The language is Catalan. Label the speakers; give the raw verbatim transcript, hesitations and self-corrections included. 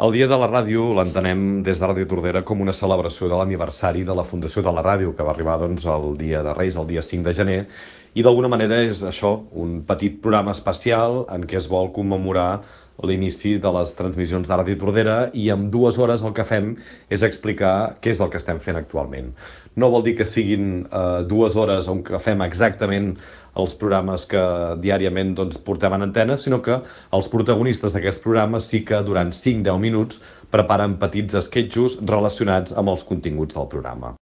Speaker 1: El Dia de la Ràdio l'entenem des de Ràdio Tordera com una celebració de l'aniversari de la fundació de la ràdio, que va arribar doncs, el dia de Reis, el dia cinc de gener, i d'alguna manera és això, un petit programa especial en què es vol commemorar l'inici de les transmissions de Ràdio Tordera, i en dues hores el que fem és explicar què és el que estem fent actualment. No vol dir que siguin eh, dues hores on que fem exactament els programes que diàriament doncs, portem en antena, sinó que els protagonistes d'aquests programes sí que durant cinc a deu minuts preparen petits esquetxos relacionats amb els continguts del programa.